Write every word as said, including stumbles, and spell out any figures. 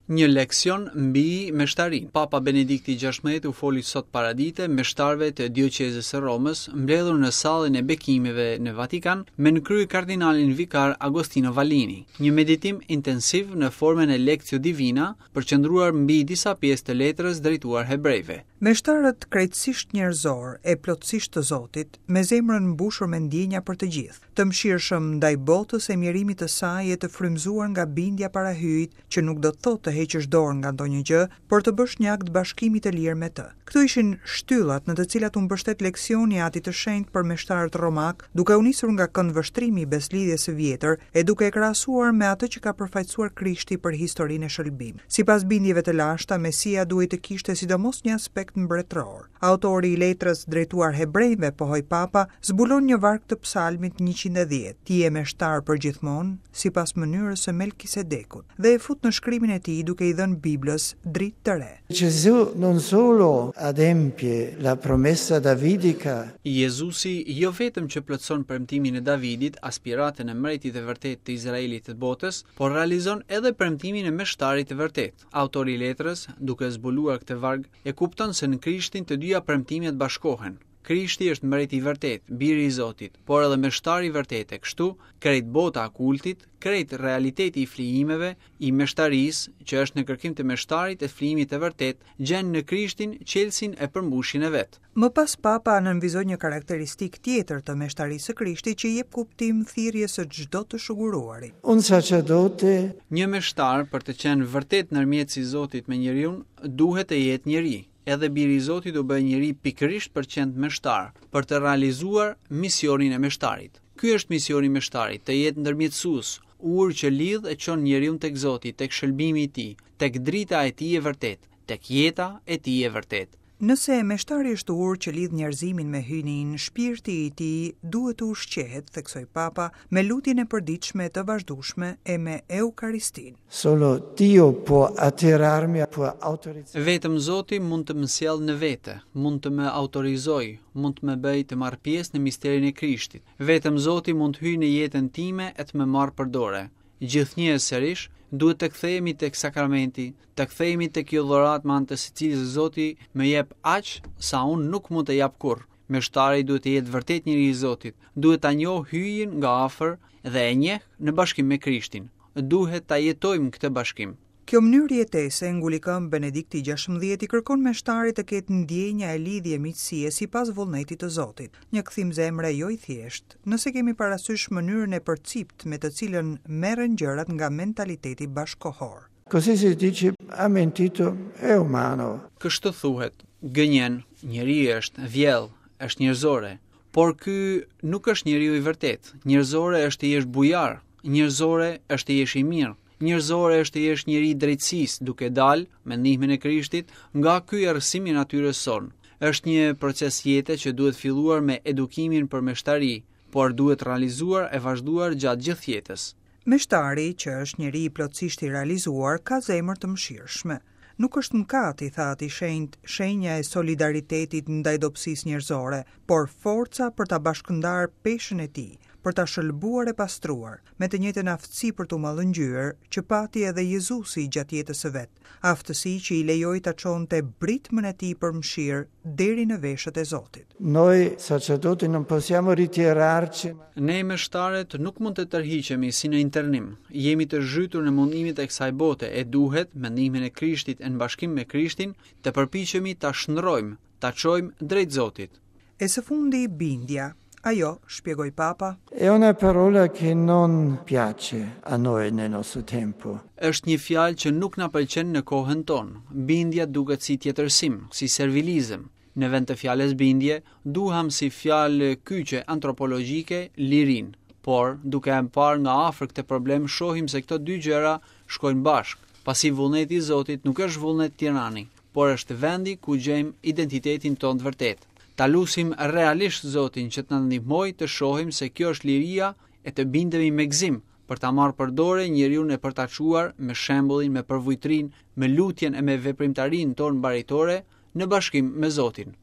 Një leksion mbi meshtarinë. Papa Benedikti gjashtëmbëdhjetë u foli sot paradite meshtarëve të dioqezës së Romës, mbledhur në sallën e bekimeve në Vatikan, me në krye kardinalin vikar Agostino Vallini. Një meditim intensiv në formën e Lectio Divina, përqendruar mbi disa pjesë të letrës drejtuar hebrejve. Meshtarët krejtësisht njerëzor e plotësisht të Zotit, me zemrën mbushur me ndjenja për të gjithë, të mëshirshëm ndaj botës e mjerimit të saj e të frymëzuar nga bindja para Hyjit, që nuk do të thotë të heqësh dorë nga ndonjë gjë, por të bësh një akt bashkimi të lirë me të. Këto ishin shtyllat në të cilat u mbështet leksioni i Atit të Shenjtë për meshtarët romak, duke u nisur nga këndvështrimi i beslidhjes së vjetër e duke e krahasuar me atë që ka përfaqësuar Krishti për historinë e shëlbimit. Sipas bindjeve të lashta, Mesia duhej të kishte sidomos një aspekt mbretëror. Autori i letrës drejtuar hebrejve, pohoi Papa, zbulon një varg të psalmit njëqind e dhjetë, Ti je meshtar për gjithmonë, sipas mënyrës së Melkisedekut, dhe e fut në shkrimin e tij duke i dhënë Biblës dritë të re. Gesù non solo adempie la promessa davidica. Jezusi jo vetëm që plotëson premtimin e Davidit, aspiratën e mbretit të vërtetë të Izraelit të botës, por realizon edhe premtimin e meshtarit të vërtetë. Autori i letrës, duke zbuluar këtë varg, e kupton se në Krishtin të dyja premtimet bashkohen. Krishti është mbreti i vërtet, biri i Zotit, por edhe meshtari i vërtetë, e kështu krejt bota e kultit, krejt realiteti i flijimeve, i meshtarisë, që është në kërkim të meshtarit e flijimit të vërtet, gjen në Krishtin çelësin e përmbushjen e vet. Më pas Papa nënvizoi një karakteristikë tjetër të meshtarisë së Krishtit që i jep kuptim thirrjes së çdo të shuguruari. Un sacerdote, një meshtar për të qenë vërtet ndërmjetësi i Zotit me njeriun, duhet të jetë njeri. Edhe biri i Zotit u bë njeri pikërisht për të qenë meshtar, për të realizuar misionin e meshtarit. Ky është misioni i meshtarit, të jetë ndërmjetësues, urë që lidh e çon njeriun tek Zoti, tek shëlbimi i tij, tek drita e tij e vërtetë, tek jeta e tij e vërtetë. Nëse meshtari është urë që lidh njerëzimin me hyjnin, shpirti i tij duhet të ushqehet, theksoi Papa, me lutjen e përditshme të vazhdueshme e me Eukaristin. Solo Dio può attirarmi, può autorizzare. Vetëm Zoti mund të më sjellë në vete, mund të më autorizojë, mund të më bëjë të marr pjesë në misterin e Krishtit. Vetëm Zoti mund të hyjë në jetën time e të më marrë për dore. Gjithnjë e sërish duhet të kthehemi tek sakramenti, të kthehemi tek kjo dhuratë me anë të së cilës Zoti më jep aq sa unë nuk mund të jap kurrë. Meshtari duhet të jetë vërtet njeri i Zotit, duhet ta njohë hyjin nga afër dhe e njeh në bashkim me Krishtin. Duhet ta jetojmë këtë bashkim. Kjo mënyrë jetese, nguli këmbë Benedikti gjashtëmbëdhjetë, i kërkon meshtarit të ketë ndjenja e lidhje miqësie sipas vullnetit të Zotit. Një kthim zemre jo i thjeshtë, nëse kemi parasysh mënyrën e përcipt me të cilën merren gjërat nga mentaliteti bashkohor. Così si dice, ha mentito, è umano. Kështu thuhet, gënjen, njeri është, vjell, është njerëzore, por ky nuk është njeriu i vërtet. Njerëzore është të jesh bujar, njerëzore është të jesh i mirë. Njerëzore është të jesh njeri i drejtësisë, duke dalë me ndihmën e Krishtit nga ky errësim i natyrës sonë. Është një proces jete që duhet filluar me edukimin për meshtari, por duhet realizuar e vazhduar gjatë gjithë jetës. Meshtari, që është njeri i plotësisht i realizuar, ka zemër të mëshirshme. Nuk është mëkat, i tha Ati Shenjt, shenja e solidaritetit ndaj dobësisë njerëzore, por forca për ta bashkëndar peshën e tij, për ta shëlbuar e pastruar, me të njëjtën aftësi për t'u mallëngjyer që pati edhe Jezusi gjatë jetës së vet, aftësi që i lejoi ta çonte britmën e tij për mëshirë deri në veshët e Zotit. Noi sacerdoti non possiamo ritirarci. Ne meshtarët nuk mund të tërhiqemi si në internim. Jemi të zhytur në mundimet e kësaj bote e duhet, me ndihmën e Krishtit e në bashkim me Krishtin, të përpiqemi ta shndrojmë, ta çojmë drejt Zotit. E së fundi bindja. Ajo, shpjegoi Papa, È una parola che non piace a noi nel nostro tempo. Është një fjalë që nuk na pëlqen në kohën tonë. Bindja duket si tjetërsim, si servilizëm. Në vend të fjalës bindje, duham si fjalë kyçe antropologjike lirin. Por, duke e parë nga afër këtë problem, shohim se këto dy gjëra shkojnë bashkë, pasi vullneti i Zotit nuk është vullnet tirani, por është vendi ku gjejmë identitetin tonë të vërtetë. Ta lusim realisht Zotin që të na ndihmojë të shohim se kjo është liria e të bindemi me gëzim për ta marrë për dore njeriun e për ta çuar me shembullin, me përvujtrin, me lutjen e me veprimtarinë tonë baritore në bashkim me Zotin.